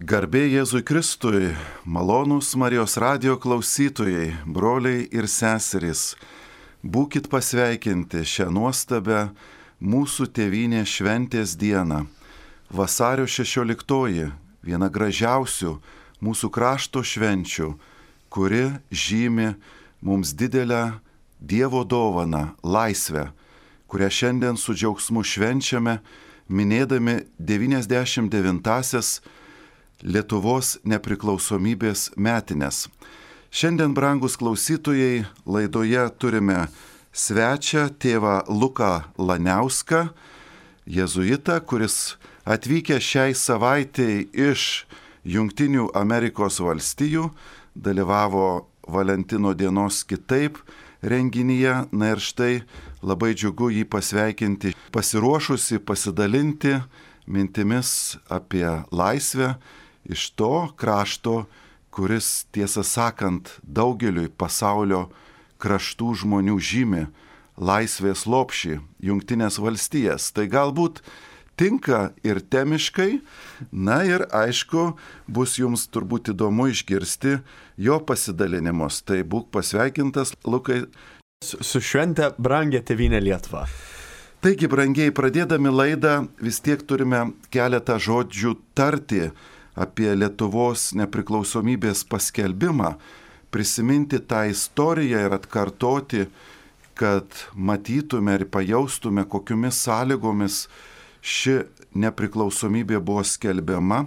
Garbė Jėzui Kristui, malonūs Marijos radijo klausytojai, broliai ir seserys, būkit pasveikinti šią nuostabę mūsų tėvynės šventės dieną. Vasario 16, viena gražiausių mūsų krašto švenčių, kuri žymi mums didelę Dievo dovaną, laisvę, kurią šiandien su džiaugsmu švenčiame, minėdami 99-asias Lietuvos nepriklausomybės metines. Šiandien, brangus klausytojai, laidoje turime svečią tėvą Luką Laniauską, jėzuitą, kuris atvykę šiai savaitei iš Jungtinių Amerikos valstijų, dalyvavo Valentino dienos kitaip renginyje. Na ir štai labai džiugu jį pasveikinti, pasiruošusi pasidalinti mintimis apie laisvę iš to krašto, kuris, tiesą sakant, daugeliui pasaulio kraštų žmonių žymi laisvės lopšį, Jungtinės valstijas. Tai galbūt tinka ir temiškai, na ir aišku, bus jums turbūt įdomu išgirsti jo pasidalinimus. Tai būk pasveikintas, Lukai. Su švente, brangia tėvynė Lietuva. Taigi, brangiai, pradėdami laidą, vis tiek turime keletą žodžių tarti apie Lietuvos nepriklausomybės paskelbimą, prisiminti tą istoriją ir atkartoti, kad matytume ir pajaustume, kokiomis sąlygomis ši nepriklausomybė buvo skelbiama,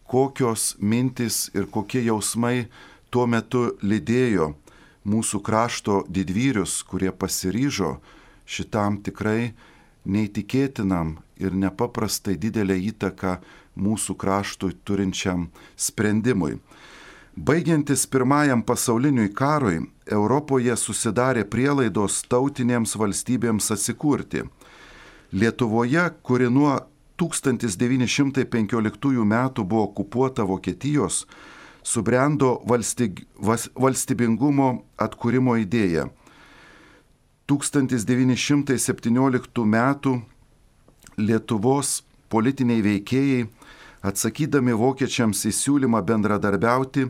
kokios mintis ir kokie jausmai tuo metu lydėjo mūsų krašto didvyrius, kurie pasiryžo šitam tikrai neįtikėtinam ir nepaprastai didelę įtaką mūsų kraštui turinčiam sprendimui. Baigiantis Pirmajam pasauliniui karui, Europoje susidarė prielaidos tautinėms valstybėms atsikurti. Lietuvoje, kuri nuo 1915 metų buvo okupuota Vokietijos, subrendo valstybingumo atkūrimo idėja. 1917 metų Lietuvos politiniai veikėjai, atsakydami vokiečiams į siūlymą bendradarbiauti,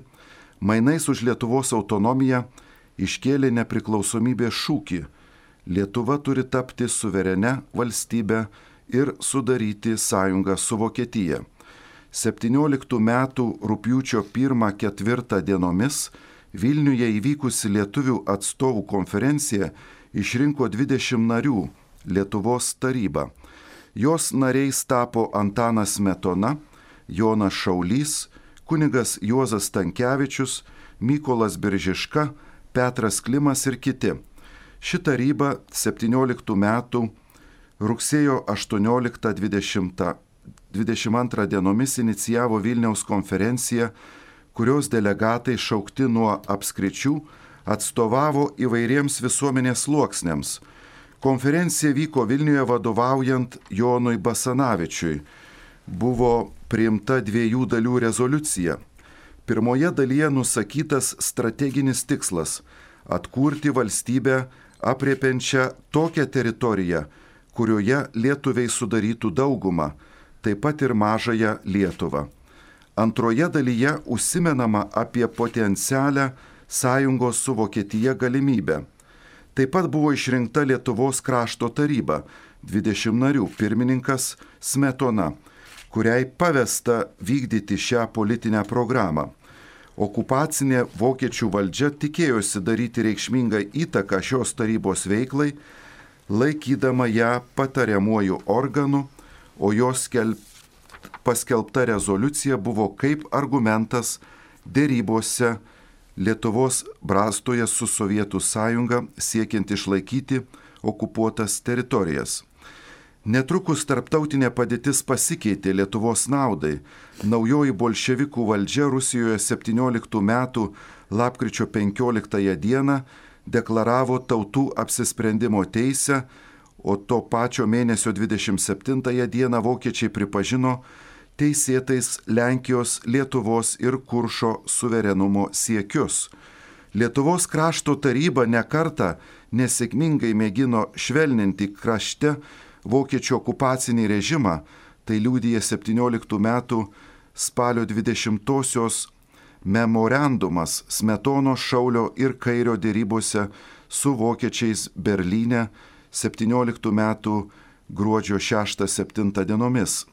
mainais už Lietuvos autonomiją iškėlė nepriklausomybės šūkį. Lietuva turi tapti suverenia valstybe ir sudaryti sąjungą su Vokietija. 17 metų rugpjūčio 1-4 dienomis Vilniuje įvykusi lietuvių atstovų konferencija išrinko 20 narių Lietuvos tarybą. Jos nariais tapo Antanas Smetona, Jonas Šaulys, kunigas Juozas Stankevičius, Mykolas Biržiška, Petras Klimas ir kiti. Ši taryba 17 metų rugsėjo 18-22 dienomis inicijavo Vilniaus konferenciją, kurios delegatai šaukti nuo apskričių atstovavo įvairiems visuomenės sluoksniams. Konferencija vyko Vilniuje vadovaujant Jonui Basanavičiui. Buvo priimta 2 dalių rezoliucija. Pirmoje dalyje nusakytas strateginis tikslas – atkurti valstybę apriepiančią tokią teritoriją, kurioje lietuviai sudarytų daugumą, taip pat ir mažąją Lietuvą. Antroje dalyje užsimenama apie potencialią sąjungos su Vokietija galimybę. Taip pat buvo išrinkta Lietuvos krašto taryba, 20 narių, pirmininkas Smetona, kuriai pavesta vykdyti šią politinę programą. Okupacinė vokiečių valdžia tikėjosi daryti reikšmingą įtaką šios tarybos veiklai, laikydama ją patariamuoju organu, o jos paskelbta rezoliucija buvo kaip argumentas dėrybose Lietuvos brastoje su Sovietų sąjunga siekiant išlaikyti okupuotas teritorijas. Netrukus tarptautinė padėtis pasikeitė Lietuvos naudai. Naujoji bolševikų valdžia Rusijoje 17 metų lapkričio 15 dieną deklaravo tautų apsisprendimo teisę, o to pačio mėnesio 27 dieną vokiečiai pripažino teisėtais Lenkijos, Lietuvos ir Kuršo suverenumo siekius. Lietuvos krašto taryba nekartą nesėkmingai mėgino švelninti krašte vokiečių okupacinį režimą, tai liudija 17 metų spalio 20-osios memorandumas Smetonos, Šaulio ir Kairio dėrybose su vokiečiais Berlyne 17 metų gruodžio 6-7 dienomis.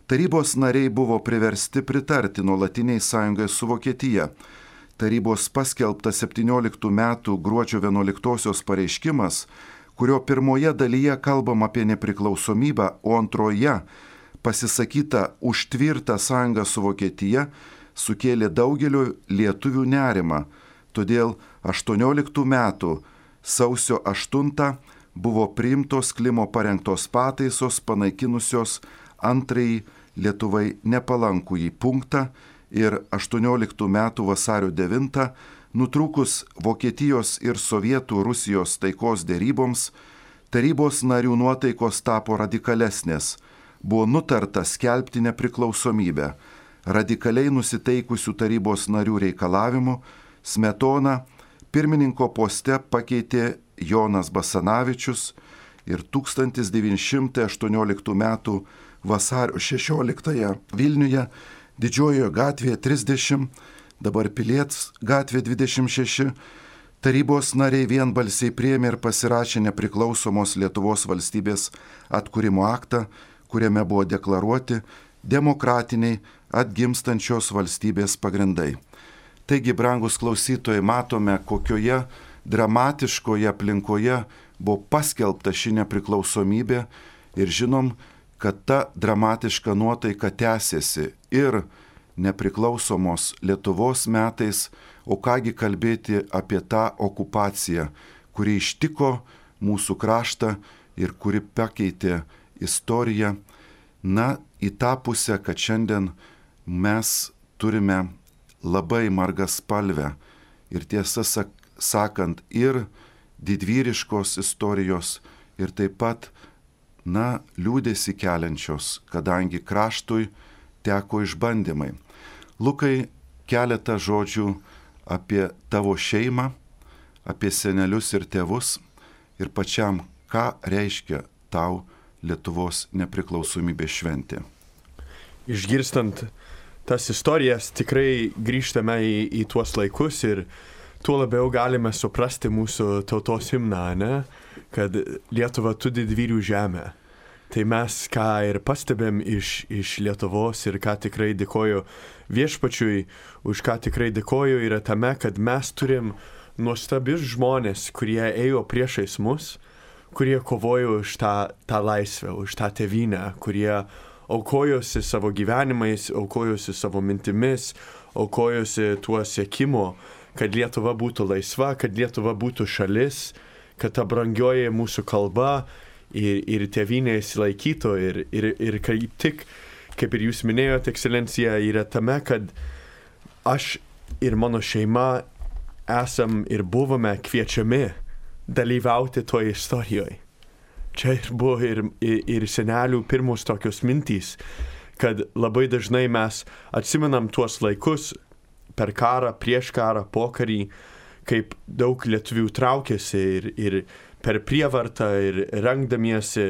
Tarybos nariai buvo priversti pritarti nuolatiniai sąjungai su Vokietija. Tarybos paskelbtas 17 metų gruodžio 11-osios pareiškimas, kurio pirmoje dalyje kalbam apie nepriklausomybę, o antroje pasisakyta už tvirtą sąjungą su Vokietija, sukėlė daugeliu lietuvių nerimą. Todėl 18 metų sausio 8 buvo priimtos Klimo parengtos pataisos panaikinusios antrąjį Lietuvai nepalankųjį punktą ir 18 metų vasario 9 nutrūkus Vokietijos ir Sovietų Rusijos taikos dėryboms, tarybos narių nuotaikos tapo radikalesnės. Buvo nutarta skelbti nepriklausomybę. Radikaliai nusiteikusių tarybos narių reikalavimu Smetoną pirmininko poste pakeitė Jonas Basanavičius ir 1918 metų vasario 16 Vilniuje Didžiojoje gatvėje 30, dabar Pilies gatvė 26, tarybos nariai vienbalsiai priėmė ir pasirašė nepriklausomos Lietuvos valstybės atkūrimo aktą, kuriame buvo deklaruoti demokratiniai atgimstančios valstybės pagrindai. Taigi, brangus klausytojai, matome, kokioje dramatiškoje aplinkoje buvo paskelbta ši nepriklausomybė ir žinom, kad ta dramatiška nuotaika tęsiasi ir nepriklausomos Lietuvos metais, o kągi kalbėti apie tą okupaciją, kuri ištiko mūsų kraštą ir kuri pakeitė istoriją, į tą pusę, kad šiandien mes turime labai margaspalvę ir tiesą sakant ir didvyriškos istorijos ir taip pat, liūdėsi keliančios, kadangi kraštui teko išbandymai. Lukai, keletą žodžių apie tavo šeimą, apie senelius ir tėvus ir pačiam, ką reiškia tau Lietuvos nepriklausomybės šventė. Išgirstant tas istorijas, tikrai grįžtame į tuos laikus ir tuo labiau galime suprasti mūsų tautos himną, kad Lietuva tu didvyrių žemė. Tai mes ką ir pastebėm iš Lietuvos ir ką tikrai dėkoju viešpačiui, už ką tikrai dėkoju yra tame, kad mes turim nuostabius žmonės, kurie ėjo priešais mus, kurie kovojo už tą laisvę, už tą tėvynę, kurie aukojosi savo gyvenimais, aukojosi savo mintimis, aukojosi tuo siekimu, kad Lietuva būtų laisva, kad Lietuva būtų šalis, kad ta brangioji mūsų kalba ir tėvynė įsilaikytų ir kaip tik, kaip ir jūs minėjote, ekscelencija, yra tame, kad aš ir mano šeima esam ir buvome kviečiami dalyvauti toje istorijoje. Čia ir buvo ir senelių pirmos tokios mintys, kad labai dažnai mes atsimenam tuos laikus per karą, prieš karą, po karį, kaip daug lietuvių traukėsi ir per prievartą ir rengdamiesi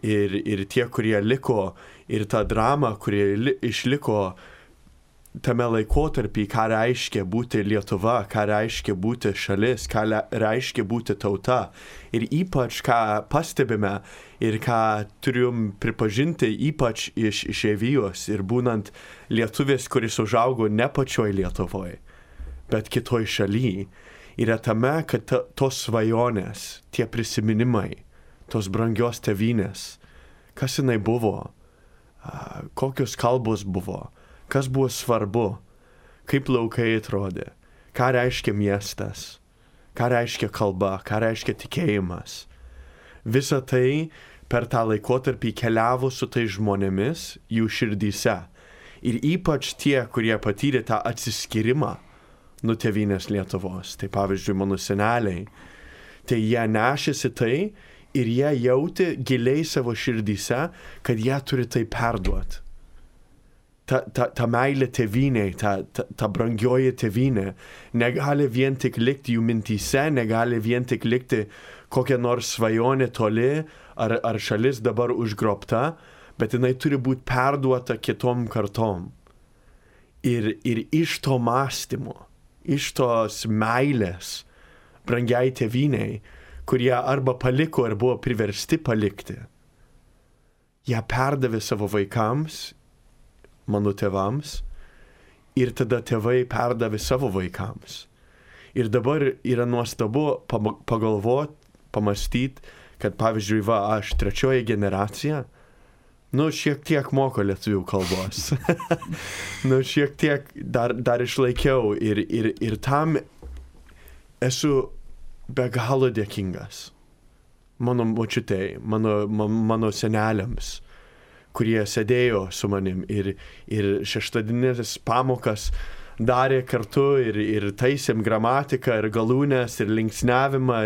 ir tie, kurie liko, ir tą dramą, kurie išliko tame laikotarpį, ką reiškia būti Lietuva, ką reiškia būti šalis, ką reiškia būti tauta. Ir ypač, ką pastebime ir ką turim pripažinti, ypač iš išeivijos ir būnant lietuvis, kuris užaugo ne pačioj Lietuvoje, bet kitoj šaly, yra tame, kad tos svajonės, tie prisiminimai, tos brangios tėvynės, kas jinai buvo, kokios kalbos buvo, kas buvo svarbu, kaip laukai atrodė, ką reiškia miestas, ką reiškia kalba, ką reiškia tikėjimas. Visa tai per tą laikotarpį keliavo su tai žmonėmis jų širdyse. Ir ypač tie, kurie patyrė tą atsiskyrimą nuo tėvynės Lietuvos. Tai pavyzdžiui, mano seneliai. Tai jie nešėsi tai ir jie jautė giliai savo širdyse, kad jie turi tai perduoti. Ta meilė tėvynei, ta brangioji tėvynė negali vien tik likti jų mintyse, negali vien tik likti kokia nors svajonė toli ar šalis dabar užgrobta, bet jinai turi būti perduota kitom kartom. Ir iš to mąstymo, iš tos meilės brangiai tėvynei, kurie arba paliko ar buvo priversti palikti, ją perdavė savo vaikams, mano tėvams, ir tada tėvai perdavė savo vaikams. Ir dabar yra nuostabu pagalvoti, pamastyti, kad pavyzdžiui, aš 3 generacija, šiek tiek moku lietuvių kalbos. Šiek tiek dar išlaikiau ir tam esu be galo dėkingas. Mano močiutei, mano seneliams, kurie sėdėjo su manim ir šeštadieninės pamokas darė kartu ir taisėm gramatiką ir galūnes ir linksniavimą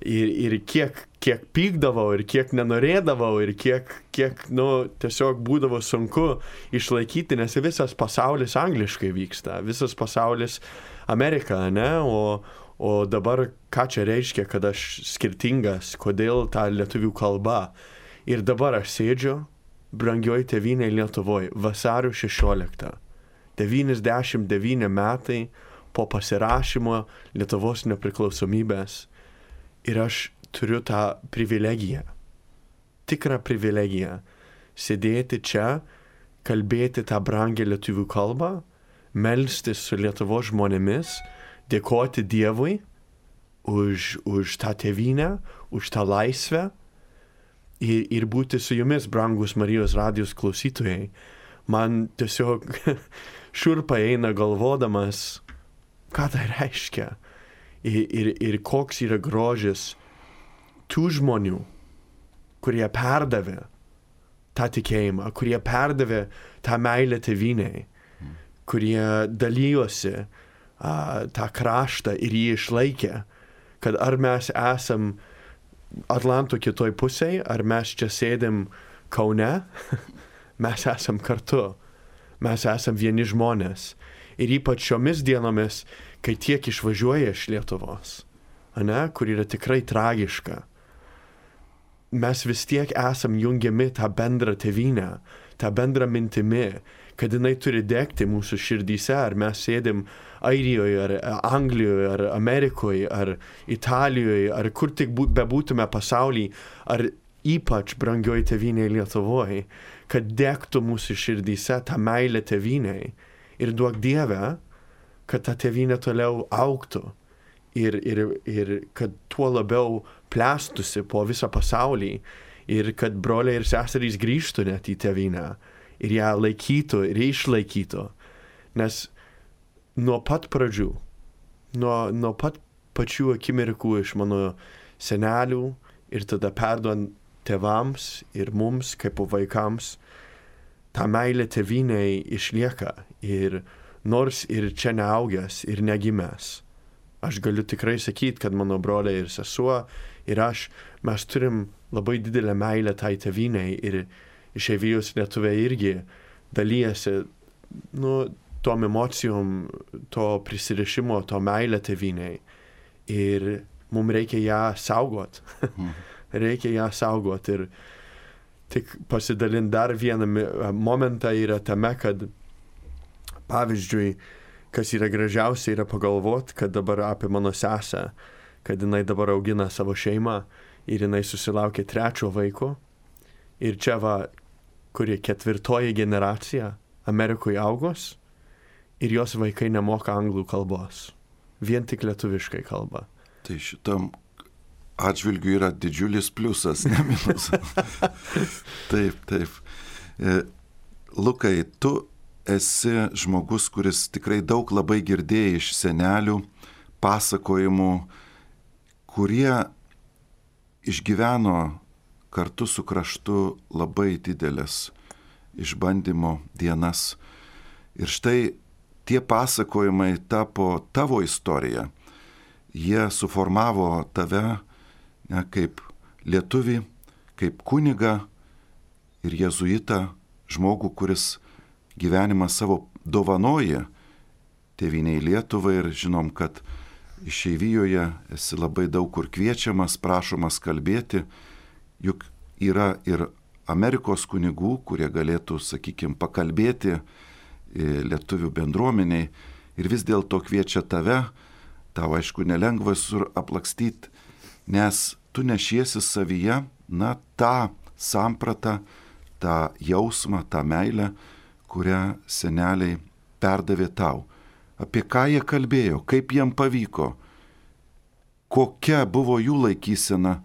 ir kiek pykdavau ir kiek nenorėdavau ir kiek tiesiog būdavo sunku išlaikyti, nes visas pasaulis angliškai vyksta, visas pasaulis Amerika, ne? O dabar ką čia reiškia, kad aš skirtingas, kodėl ta lietuvių kalba. Ir dabar aš sėdžiu brangioj tėvynėj Lietuvoj, vasario 16. 99 metai po pasirašymo Lietuvos nepriklausomybės. Ir aš turiu tą privilegiją, tikrą privilegiją, sėdėti čia, kalbėti tą brangią lietuvių kalbą, melstis su Lietuvos žmonėmis, dėkoti Dievui už tą tėvynę, už tą laisvę ir būti su jumis, brangus Marijos radijos klausytojai. Man tiesiog šiurpa eina galvodamas, ką tai reiškia ir koks yra grožis tų žmonių, kurie perdavė tą tikėjimą, kurie perdavė tą meilę tėvynei, kurie dalyjosi tą kraštą ir jį išlaikė, kad ar mes esam Atlanto kitoj pusėje, ar mes čia sėdim Kaune, mes esam kartu, mes esam vieni žmonės. Ir ypač šiomis dienomis, kai tiek išvažiuoja iš Lietuvos, kur yra tikrai tragiška, mes vis tiek esam jungiami tą bendrą tėvynę, tą bendrą mintimi, kad jinai turi degti mūsų širdyse, ar mes sėdim Airijoje, ar Anglijoje, ar Amerikoje, ar Italijoje, ar kur tik bebūtume pasaulyje, ar ypač brangioj tėvynėje Lietuvoje, kad degtų mūsų širdyse tą meilę tėvynei ir duok Dieve, kad ta tėvynė toliau augtų ir kad tuo labiau plėstųsi po visą pasaulį ir kad broliai ir seserys grįžtų net į tėvynę ir ją laikytų ir išlaikytų. Nes nuo pat pradžių, nuo pat pačių akimirkų iš mano senelių ir tada perduodant tėvams ir mums kaip vaikams, ta meilė tėvynei išlieka ir nors ir čia neaugęs ir negimęs. Aš galiu tikrai sakyti, kad mano broliai ir sesuo ir mes turim labai didelę meilę tai tėvynei ir išeivijos lietuviai irgi dalyjasi tom emocijom, to prisirišimo, to meilę tėvynei. Ir mums reikia ją saugot. Reikia ją saugot. Ir tik pasidalint dar vieną momentą yra tame, kad pavyzdžiui, kas yra gražiausia, yra pagalvoti, kad dabar apie mano sesę, kad jinai dabar augina savo šeimą ir jinai susilaukė 3 vaiko. Ir čia kuri 4 generacija Amerikoje augos ir jos vaikai nemoka anglų kalbos. Vien tik lietuviškai kalba. Tai šitam atžvilgiu yra didžiulis pliusas, ne minusas. Taip. Lukai, tu esi žmogus, kuris tikrai daug labai girdėjai iš senelių pasakojimų, kurie išgyveno kartu su kraštu labai didelės išbandymo dienas. Ir štai tie pasakojimai tapo tavo istorija. Jie suformavo tave kaip lietuvį, kaip kunigą ir jėzuitą, žmogų, kuris gyvenimą savo dovanoja tėvynei Lietuvai ir žinom, kad išeivijoje esi labai daug kur kviečiamas, prašomas kalbėti, juk yra ir Amerikos kunigų, kurie galėtų, sakykime, pakalbėti lietuvių bendruomeniai ir vis dėlto kviečia tave, tau aišku nelengva sur aplakstyti, nes tu nešiesi savyje, tą sampratą, tą jausmą, tą meilę, kurią seneliai perdavė tau. Apie ką jie kalbėjo, kaip jiem pavyko, kokia buvo jų laikysena,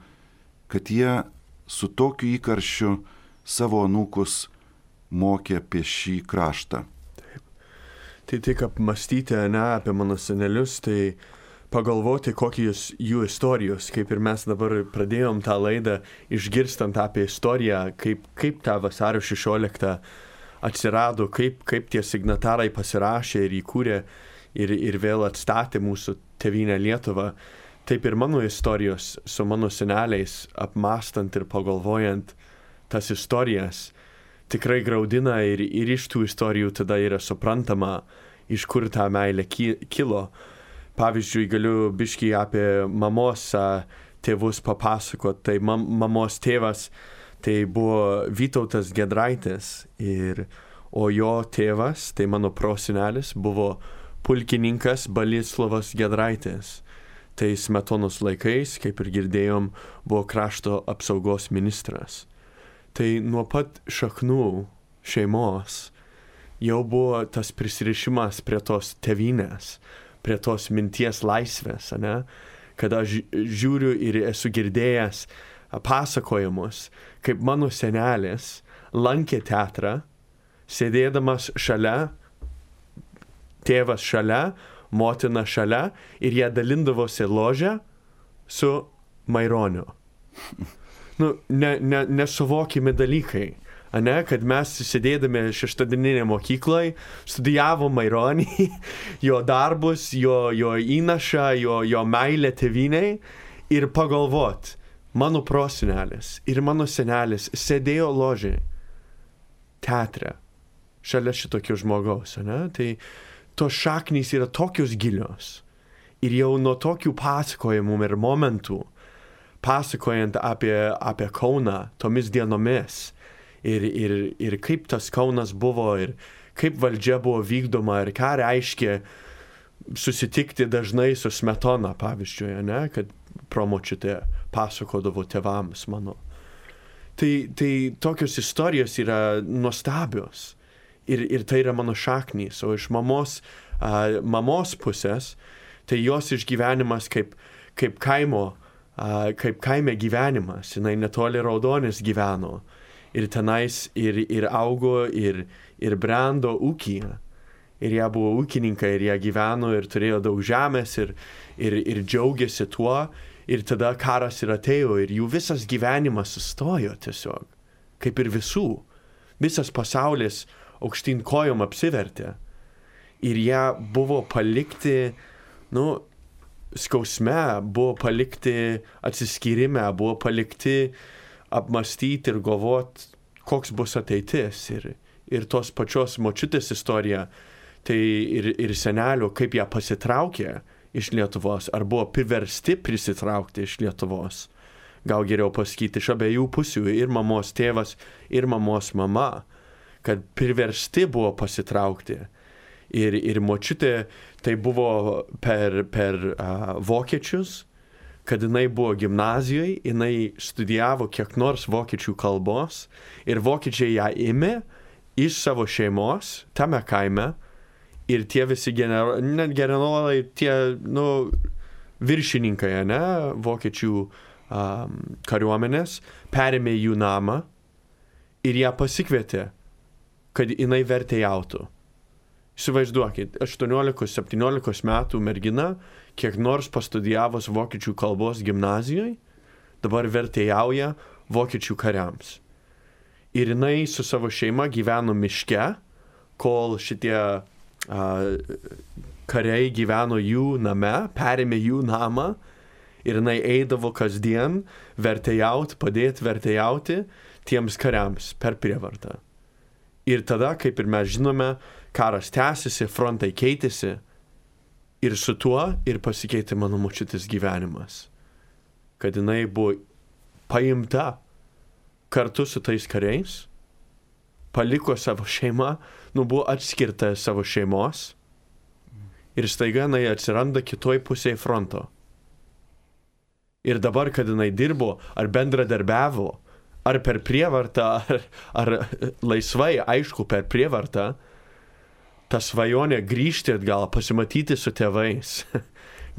kad jie su tokiu įkarščiu savo anūkus mokė apie šį kraštą. Taip. Tai tik apmastyti, apie mano senelius, tai pagalvoti, kokios jų istorijos, kaip ir mes dabar pradėjom tą laidą, išgirstant apie istoriją, kaip tą vasario 16 atsirado, kaip tie signatarai pasirašė ir įkūrė ir vėl atstatė mūsų tėvynę Lietuvą. Taip ir mano istorijos su mano seneliais, apmastant ir pagalvojant tas istorijas, tikrai graudina ir iš tų istorijų tada yra suprantama, iš kur ta meilė kilo. Pavyzdžiui, galiu biškį apie mamos tėvus papasakot. Tai mamos tėvas tai buvo Vytautas Giedraitis, o jo tėvas, tai mano prosenelis, buvo pulkininkas Boleslovas Giedraitis. Tai Smetonos laikais, kaip ir girdėjom, buvo krašto apsaugos ministras. Tai nuo pat šaknų šeimos jau buvo tas prisirišimas prie tos tėvynės, prie tos minties laisvės, kad aš žiūriu ir esu girdėjęs pasakojimus, kaip mano senelis lankė teatrą, sėdėdamas šalia, tėvas šalia, motina šalia ir jie dalindavosi ložę su Maironiu. Nesuvokimi dalykai, kad mes sėdėdami šeštadieninėje mokykloje, studijavom Maironį, jo darbus, jo įnašą, jo meilę tėvynei ir pagalvot, mano prosenelis ir mano senelis sėdėjo ložė teatre šalia šitokio žmogaus, Tai tos šaknys yra tokios gilios ir jau nuo tokių pasakojimų ir momentų, pasakojant apie Kauną tomis dienomis ir kaip tas Kaunas buvo ir kaip valdžia buvo vykdoma ir ką reiškia susitikti dažnai su Smetona, pavyzdžiui, kad promočiutė pasakodavo tėvams mano. Tai tokios istorijos yra nuostabios ir tai yra mano šaknys, o iš mamos pusės, tai jos išgyvenimas kaip kaime gyvenimas, jinai netoli Raudonės gyveno ir tenais ir augo ir brendo ūkyje. Ir jie buvo ūkininkai ir jie gyveno ir turėjo daug žemės ir džiaugiasi tuo. Ir tada karas ir atėjo ir jų visas gyvenimas sustojo tiesiog, kaip ir visų. Visas pasaulis aukštyn kojom apsivertė. Ir jie buvo palikti, skausme, buvo palikti atsiskyrime, buvo palikti apmastyti ir galvot, koks bus ateitis. Ir tos pačios močiutės istorija, tai ir senelio, kaip ją pasitraukė iš Lietuvos, ar buvo priversti prisitraukti iš Lietuvos. Gal geriau pasakyti iš abiejų pusių, ir mamos tėvas, ir mamos mama, kad priversti buvo pasitraukti. Ir močiutė tai buvo per vokiečius, kad jinai buvo gimnazijoje, jinai studijavo kiek nors vokiečių kalbos ir vokiečiai ją ėmė iš savo šeimos tame kaime ir tie visi generolai, tie viršininkai, vokiečių kariuomenės, perėmė jų namą ir ją pasikvietė, kad jinai vertėjautų. Įsivaizduokit, 18-17 metų mergina, kiek nors pastudijavus vokiečių kalbos gimnazijoje, dabar vertėjauja vokiečių kariams. Ir jinai su savo šeima gyveno miške, kol šitie kariai gyveno jų name, perėmė jų namą ir jinai eidavo kasdien padėti vertėjauti tiems kariams per prievartą. Ir tada, kaip ir mes žinome, karas tęsiasi, frontai keitėsi ir su tuo ir pasikeitė mano močiutės gyvenimas. Kad jinai buvo paimta kartu su tais kariais paliko savo šeimą, buvo atskirta savo šeimos ir staiga jinai atsiranda kitoj pusėje fronto. Ir dabar, kad jinai dirbo, ar bendradarbiavo, ar per prievartą, ar laisvai, aišku, per prievartą, ta svajonė grįžti atgal, pasimatyti su tėvais,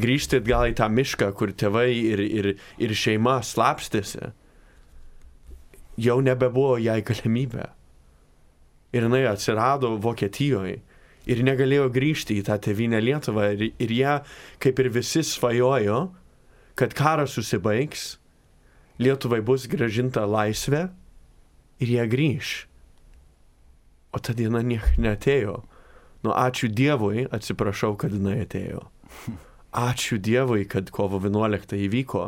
grįžti atgal į tą mišką, kur tėvai ir šeima slapstėsi, jau nebebuvo jai galimybė. Ir jinai atsirado Vokietijoje ir negalėjo grįžti į tą tėvynę Lietuvą. Ir jie, kaip ir visi, svajojo, kad karas susibaigs, Lietuvai bus grąžinta laisvė ir jie grįš. O ta diena neatėjo. Ačiū Dievui, atsiprašau, kad jinai atėjo. Ačiū Dievui, kad kovo 11 įvyko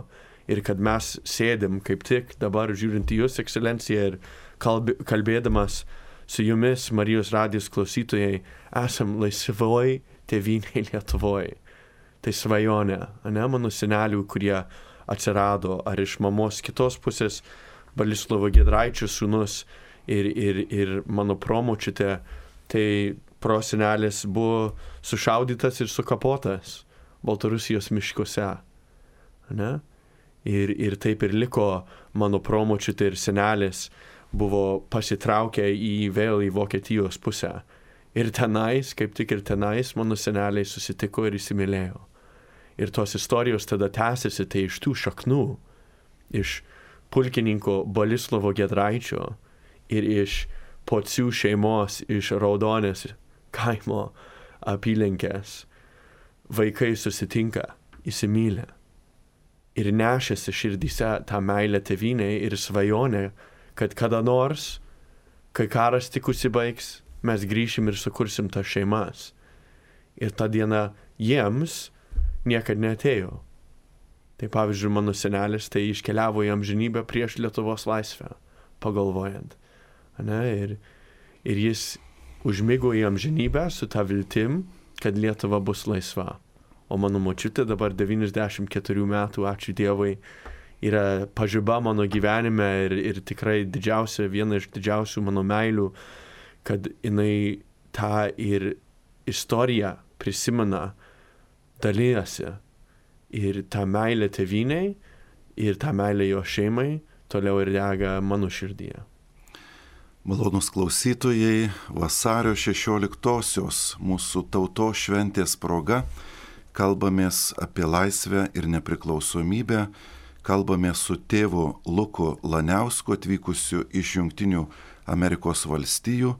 ir kad mes sėdim kaip tik dabar žiūrint į Jūs, ekscelencija, ir kalbėdamas su Jumis, Marijos radijos klausytojai, esam laisvoj tėvynėj Lietuvoj. Tai svajonė, mano senelių, kurie atsirado, ar iš mamos kitos pusės, Boleslovo Giedraičio sūnus ir mano promočiutė, tai prosenelis buvo sušaudytas ir sukapotas Baltarusijos miškuose. Ir taip ir liko mano promočiutė ir senelis buvo pasitraukę vėl į Vokietijos pusę. Ir tenais, kaip tik ir tenais, mano seneliai susitiko ir įsimylėjo. Ir tos istorijos tada tęsiasi tai iš tų šaknų, iš pulkininko Boleslovo Giedraičio ir iš Pocių šeimos, iš Raudonės kaimo apylinkės. Vaikai susitinka, įsimylė ir nešėsi širdyse tą meilę tėvynei ir svajonę, kad kada nors, kai karas tik užsibaigs, mes grįšim ir sukursim tas šeimas. Ir ta diena jiems niekad neatėjo. Tai pavyzdžiui, mano senelis tai iškeliavo į amžinybę prieš Lietuvos laisvę, pagalvojant. Ir jis užmigo į amžinybę su ta viltim, kad Lietuva bus laisva. O mano močiutė dabar 94 metų, ačiū Dievui, yra pažiba mano gyvenime ir tikrai viena iš didžiausių mano meilių, kad jinai tą ir istoriją prisimena, dalyjasi ir tą meilę tėvynei ir tą meilę jo šeimai toliau ir dega mano širdyje. Malonūs klausytojai, vasario 16-osios mūsų tautos šventės proga kalbamės apie laisvę ir nepriklausomybę, kalbamės su tėvu Luku Laniausku atvykusiu iš Jungtinių Amerikos valstijų,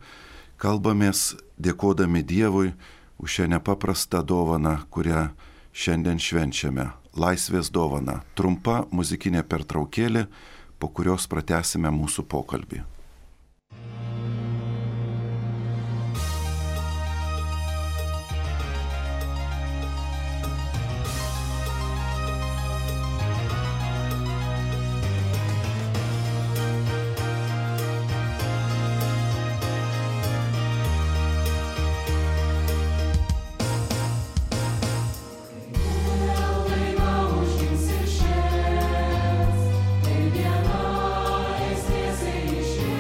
kalbamės dėkodami Dievui už šią nepaprastą dovaną, kurią šiandien švenčiame. Laisvės dovana. Trumpa muzikinė pertraukėlė, po kurios pratęsime mūsų pokalbį. Išėjęs,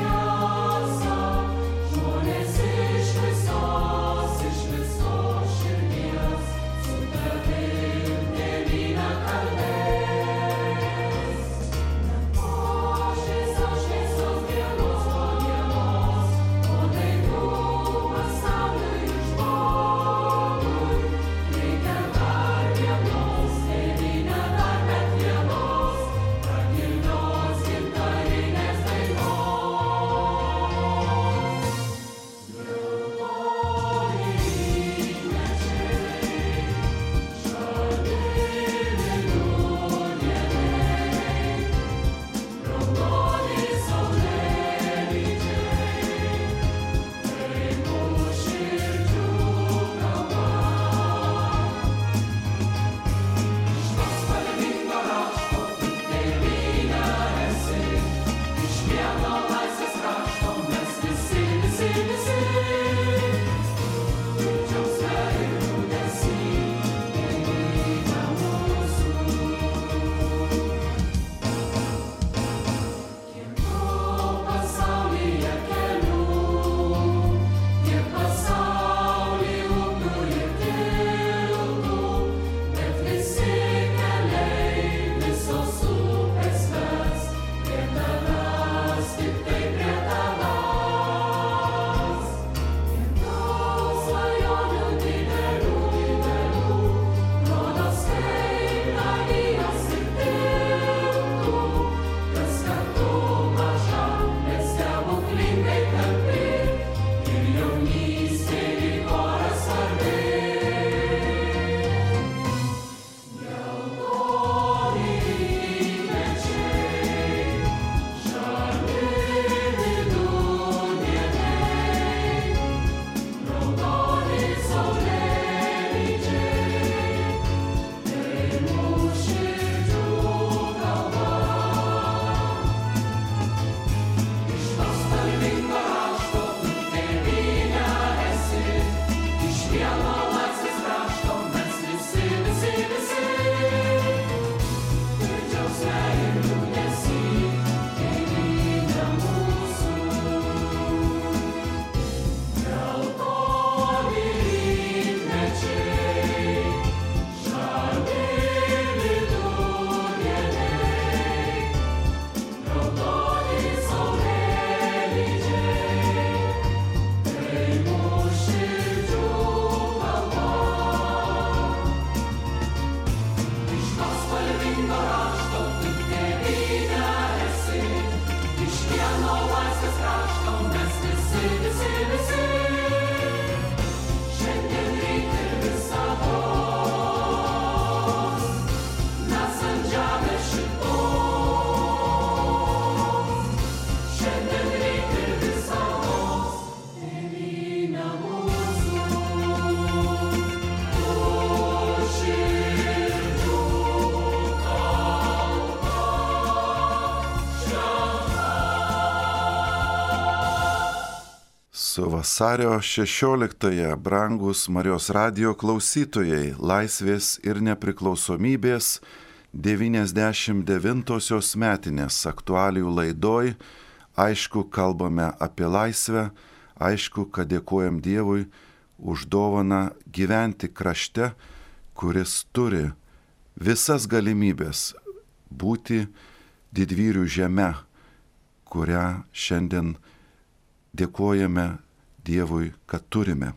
Su vasario 16-ąją, brangus Marijos radijo klausytojai, Laisvės ir nepriklausomybės 99-osios metinės aktualijų laidoj. Aišku, kalbame apie laisvę, aišku, kad dėkojam Dievui už dovaną gyventi krašte, kuris turi visas galimybės būti didvyrių žeme, kurią šiandien dėkojame Dievui, kad turime.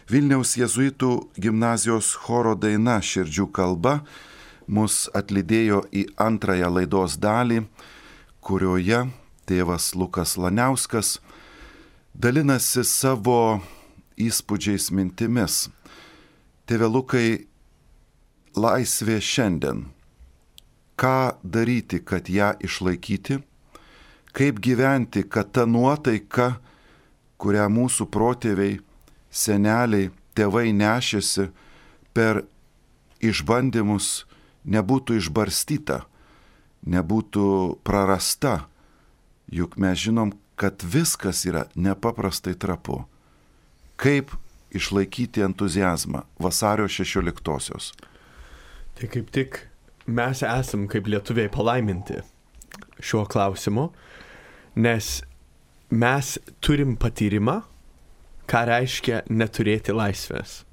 Vilniaus jėzuitų gimnazijos choro daina Širdžių kalba mus atlydėjo į antrąją laidos dalį, kurioje tėvas Lukas Laniauskas dalinasi savo įspūdžiais mintimis. Tėve Lukai, laisvė šiandien. Ką daryti, kad ją išlaikyti? Kaip gyventi, kad ta nuotaika, kurią mūsų protėviai, seneliai, tėvai nešėsi per išbandymus, nebūtų išbarstyta, nebūtų prarasta. Juk mes žinom, kad viskas yra nepaprastai trapu. Kaip išlaikyti entuziazmą vasario 16-osios? Tai kaip tik mes esam kaip lietuviai palaiminti šiuo klausimu, nes mes turim patyrimą, ką reiškia neturėti laisvės.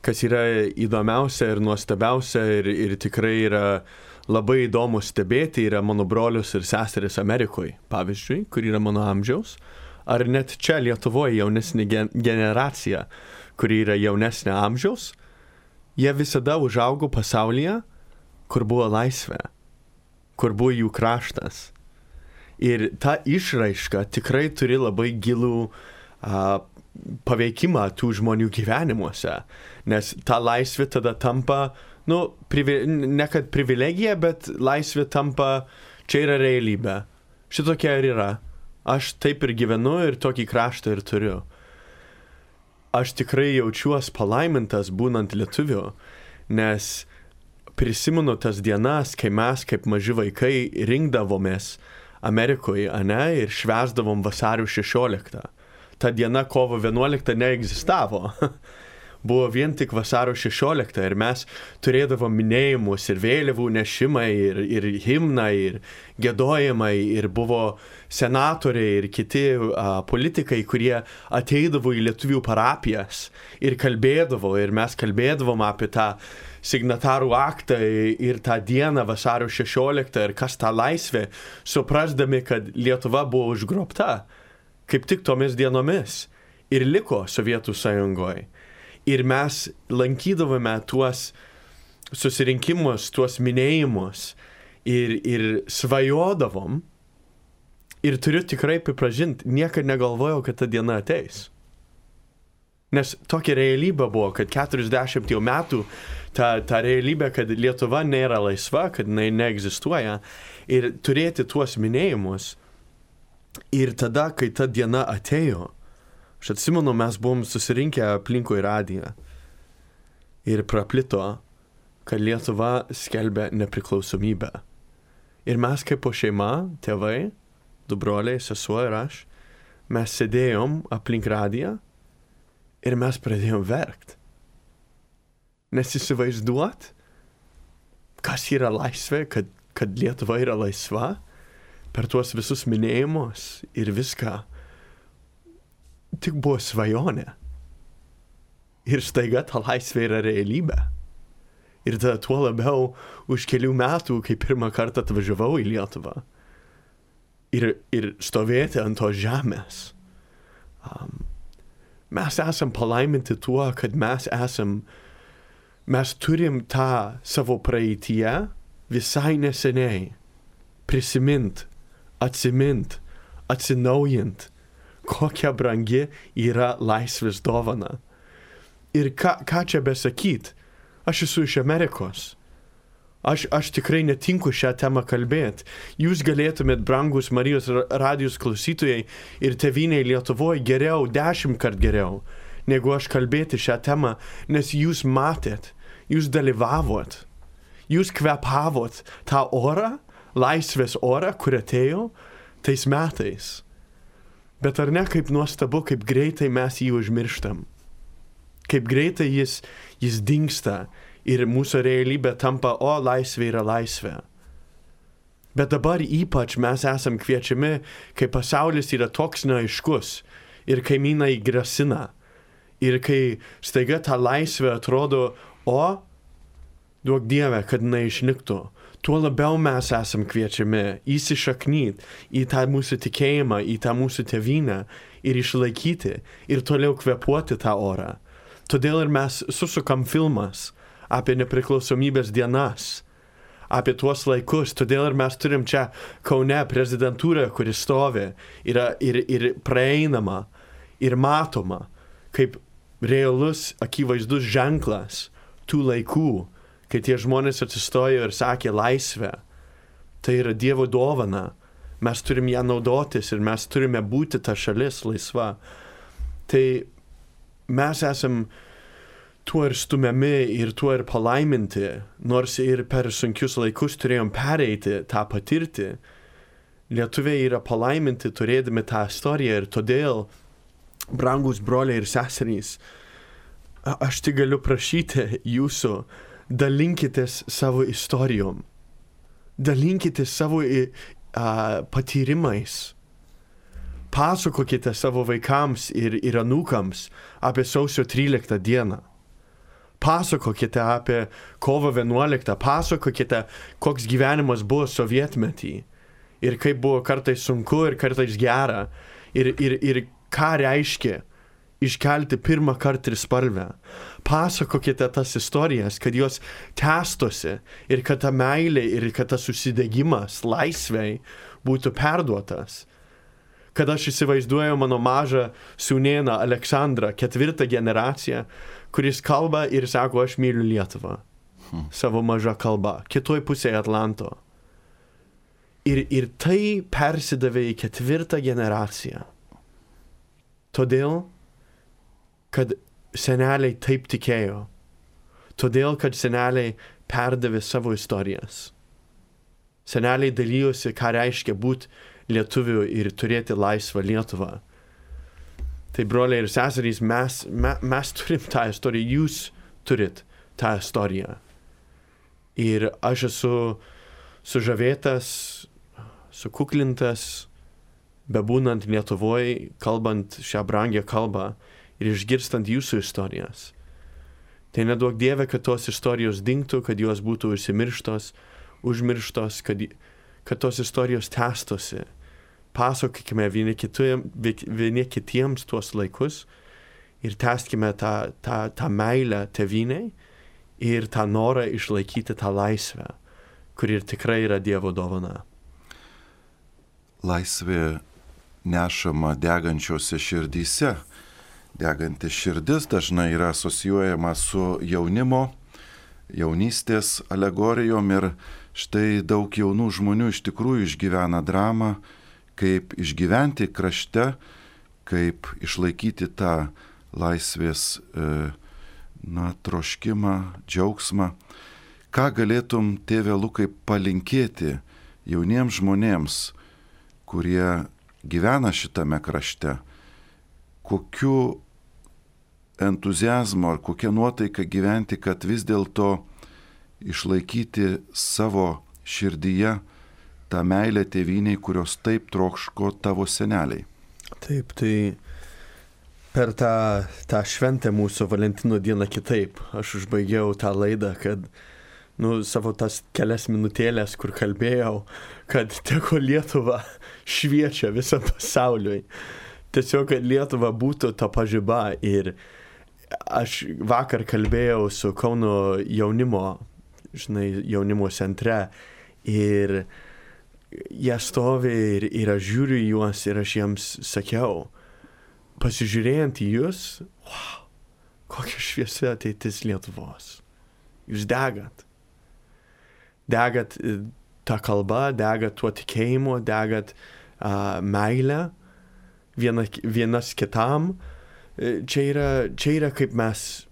Kas yra įdomiausia ir nuostabiausia ir tikrai yra labai įdomu stebėti, yra mano brolius ir seseris Amerikoje, pavyzdžiui, kur yra mano amžiaus, ar net čia Lietuvoje jaunesnė generacija, kuri yra jaunesnė amžiaus, jie visada užaugo pasaulyje, kur buvo laisvė, kur buvo jų kraštas. Ir ta išraiška tikrai turi labai gilų paveikimą tų žmonių gyvenimuose, nes ta laisvė tada tampa, ne kad privilegija, bet laisvė tampa, čia yra realybė. Šitokia ir yra. Aš taip ir gyvenu ir tokį kraštą ir turiu. Aš tikrai jaučiuos palaimintas būnant lietuviu, nes prisimenu tas dienas, kai mes kaip maži vaikai rinkdavomės Amerikoje, ir švęsdavom vasario 16. Ta diena kovo 11 neegzistavo. Buvo vien tik vasario 16 ir mes turėdavom minėjimus ir vėliavų nešimai ir himnai ir giedojimai ir buvo senatoriai ir kiti politikai, kurie ateidavo į lietuvių parapijas ir kalbėdavo ir mes kalbėdavom apie tą signatarų aktą ir tą dieną vasario 16 ir kas tą laisvę, suprasdami, kad Lietuva buvo užgrobta kaip tik tomis dienomis ir liko Sovietų sąjungoje. Ir mes lankydavome tuos susirinkimus, tuos minėjimus ir svajodavom. Ir turiu tikrai pripažinti, niekad negalvojau, kad ta diena ateis. Nes tokia realybė buvo, kad 40 metų ta realybė, kad Lietuva nėra laisva, kad jinai neegzistuoja. Ir turėti tuos minėjimus. Ir tada, kai ta diena atėjo, aš atsimenu, mes buvom susirinkę aplinkui radiją ir praplito, kad Lietuva skelbia nepriklausomybę. Ir mes kaip po šeima, tėvai, du broliai, sesuo ir aš, mes sėdėjom aplink radiją ir mes pradėjom verkt. Nes įsivaizduot, kas yra laisvė, kad Lietuva yra laisva, per tuos visus minėjimus ir viską. Tik buvo svajonė. Ir staiga ta laisvė yra realybė. Ir tada tuo labiau už kelių metų, kai pirmą kartą atvažiavau į Lietuvą. Ir stovėti ant tos žemės. Mes esam palaiminti tuo, kad mes turim tą savo praeityje visai neseniai prisimint, atsimint, atsinaujint, kokia brangi yra laisvės dovana. Ir ką čia besakyt, aš esu iš Amerikos. Aš tikrai netinku šią temą kalbėti. Jūs galėtumėt, brangus Marijos radijos klausytojai ir tėvynei Lietuvoje geriau, 10 kart geriau, negu aš kalbėti šią temą, nes jūs matėt, jūs dalyvavot, jūs kvepavot tą orą, laisvės orą, kur atėjo tais metais. Bet ar ne kaip nuostabu, kaip greitai mes jį užmirštam? Kaip greitai jis dingsta ir mūsų realybė tampa, laisvė yra laisvė. Bet dabar ypač mes esam kviečiami, kai pasaulis yra toks neaiškus ir kaimynai grasina. Ir kai staiga ta laisvė atrodo, duok Dieve, kad neišnyktų. Tuo labiau mes esam kviečiami įsišaknyt į tą mūsų tikėjimą, į tą mūsų tėvynę ir išlaikyti ir toliau kvėpuoti tą orą. Todėl ir mes susukam filmas apie nepriklausomybės dienas, apie tuos laikus. Todėl ir mes turim čia Kaune prezidentūrą, kuri stovi, yra ir praeinama, ir matoma, kaip realus, akivaizdus ženklas tų laikų, kai tie žmonės atsistojo ir sakė laisvę. Tai yra Dievo dovana. Mes turim ją naudotis ir mes turime būti ta šalis laisva. Tai mes esam tuo ir stumiami ir tuo ir palaiminti, nors ir per sunkius laikus turėjom pereiti, tą patirti. Lietuviai yra palaiminti turėdami tą istoriją ir todėl, brangus broliai ir seserys, aš tik galiu prašyti jūsų, dalinkitės savo istorijom, dalinkitės savo patyrimais, pasakokite savo vaikams ir anūkams apie sausio 13 dieną, pasakokite apie kovo 11, pasakokite, koks gyvenimas buvo sovietmetį ir kaip buvo kartais sunku ir kartais gera ir ką reiškia iškelti pirmą kartą trispalvę. Pasakokite tas istorijas, kad jos tęstosi ir kad ta meilė ir kad tas susidegimas laisvei būtų perduotas. Kad aš įsivaizduoju mano mažą sūnėną Aleksandrą, 4 generaciją, kuris kalba ir sako, aš myliu Lietuvą. Savo mažą kalbą, kitoj pusėje Atlanto. Ir tai persidavė į 4 generaciją. Todėl, kad seneliai taip tikėjo. Todėl, kad seneliai perdavė savo istorijas. Seneliai dalyjosi, ką reiškia būti lietuviu ir turėti laisvą Lietuvą. Tai broliai ir seserys, mes turim tą istoriją, jūs turit tą istoriją. Ir aš esu sužavėtas, sukuklintas, bebūnant Lietuvoje, kalbant šią brangią kalbą, ir išgirstant jūsų istorijas. Tai neduok Dieve, kad tos istorijos dingtų, kad jos būtų užmirštos, kad tos istorijos tęstosi. Pasakokime vieni kitiems tuos laikus ir tęskime tą meilę tėvynei ir tą norą išlaikyti tą laisvę, kuri tikrai yra Dievo dovana. Laisvė nešama degančiose širdyse. Degantis širdis dažnai yra asocijuojama su jaunystės alegorijom ir štai daug jaunų žmonių iš tikrųjų išgyvena dramą, kaip išgyventi krašte, kaip išlaikyti tą laisvės troškimą, džiaugsmą. Ką galėtum, tėve Lukai, palinkėti jauniems žmonėms, kurie gyvena šitame krašte? Kokiu entuziazmu ar kokia nuotaika gyventi, kad vis dėlto išlaikyti savo širdyje tą meilę tėvynei, kurios taip trokško tavo seneliai? Taip, tai per tą šventę mūsų Valentino dieną kitaip. Aš užbaigiau tą laidą, kad savo tas kelias minutėlės, kur kalbėjau, kad teko Lietuva šviečia visam pasauliui. Tiesiog, kad Lietuva būtų ta pažiba. Ir aš vakar kalbėjau su Kauno jaunimo centre ir jie stovi ir aš žiūriu į juos ir aš jiems sakiau, pasižiūrėjant į jūs, kokia šviesi ateitis Lietuvos. Jūs degat. Degat tą kalbą, degat tuo tikėjimu, degat meilę. Vienas kitam, čia yra kaip mes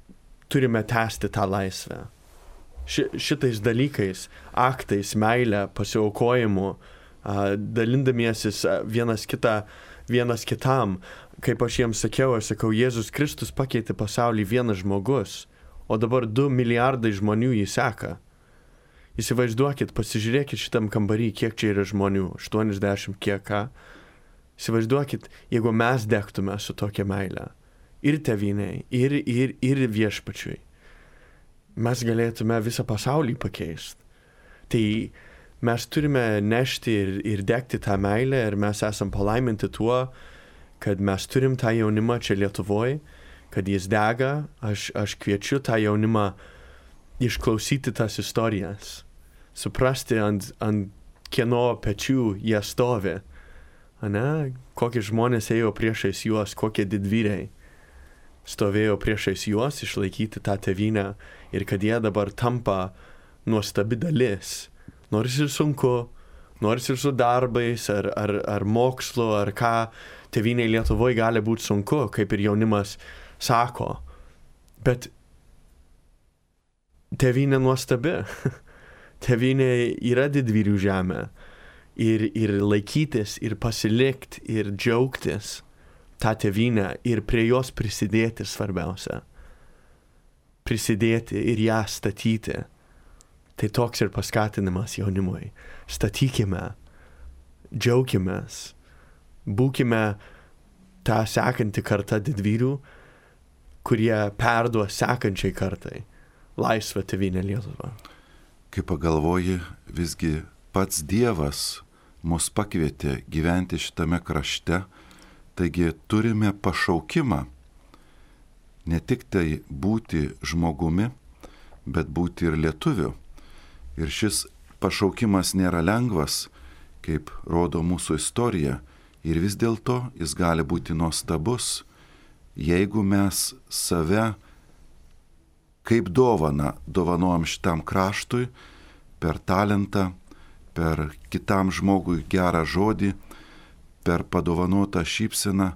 turime tęsti tą laisvę. Šitais dalykais, aktais, meilę, pasiaukojimu, dalindamiesis vienas kitą vienas kitam. Kaip aš jiems sakiau, Jėzus Kristus pakeitė pasaulį vienas žmogus, o dabar 2 milijardai žmonių jį seka. Įsivaizduokit, pasižiūrėkit šitam kambarį, kiek čia yra žmonių, 80 kiek ką. Įsivaizduokit, jeigu mes degtume su tokia meile, ir tėvynei, ir viešpačiui, mes galėtume visą pasaulį pakeisti. Tai mes turime nešti ir degti tą meilę, ir mes esam palaiminti tuo, kad mes turim tą jaunimą čia Lietuvoje, kad jis dega. Aš kviečiu tą jaunimą išklausyti tas istorijas, suprasti ant kieno pečių jie stovi. Ane? Kokie žmonės ėjo priešais juos, kokie didvyriai stovėjo priešais juos išlaikyti tą tėvynę, ir kad jie dabar tampa nuostabi dalis. Nors ir sunku, nors ir su darbais, ar mokslu, ar ką, tėvynei Lietuvoje gali būti sunku, kaip ir jaunimas sako. Bet tėvynė nuostabi. Tėvynė yra didvyrių žemė. Ir laikytis, ir pasilikti, ir džiaugtis tą tėvynę, ir prie jos prisidėti svarbiausia. Prisidėti ir ją statyti. Tai toks ir paskatinimas jaunimui. Statykime, džiaukimės, būkime tą sekantį kartą didvyrių, kurie perduos sekančiai kartai laisvą tėvynę Lietuvą. Kai pagalvoji, visgi pats Dievas mus pakvietė gyventi šitame krašte, taigi turime pašaukimą ne tik tai būti žmogumi, bet būti ir lietuviu. Ir šis pašaukimas nėra lengvas, kaip rodo mūsų istorija, ir vis dėlto jis gali būti nuostabus, jeigu mes save kaip dovanojam šitam kraštui per talentą, per kitam žmogui gerą žodį, per padovanotą šypseną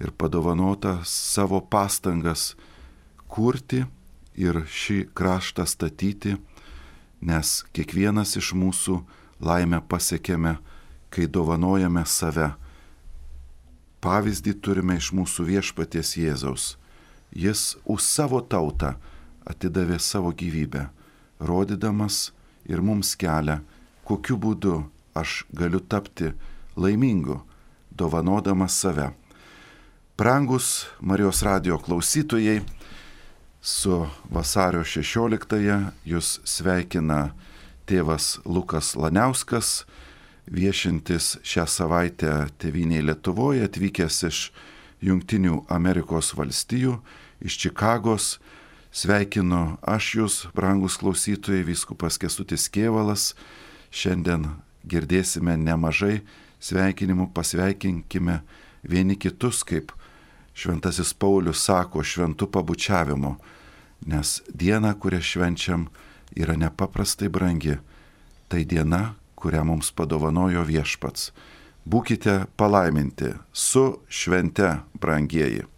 ir padovanotą savo pastangas kurti ir šį kraštą statyti, nes kiekvienas iš mūsų laimę pasiekėme, kai dovanojame save. Pavyzdį turime iš mūsų viešpaties Jėzaus. Jis už savo tautą atidavė savo gyvybę, rodydamas ir mums kelią, kokiu būdu aš galiu tapti laimingu, dovanodamas save. Brangus Marijos radijo klausytojai, su vasario 16-ąją jūs sveikina tėvas Lukas Laniauskas, viešintis šią savaitę tėvynėje Lietuvoje, atvykęs iš Jungtinių Amerikos valstijų, iš Čikagos. Sveikinu aš jūs, brangus klausytojai, vyskupas Kęstutis Kėvalas. Šiandien girdėsime nemažai sveikinimų, pasveikinkime vieni kitus, kaip Šventasis Paulius sako, šventu pabučiavimu, nes diena, kurią švenčiam, yra nepaprastai brangi. Tai diena, kurią mums padovanojo viešpats. Būkite palaiminti su švente, brangieji.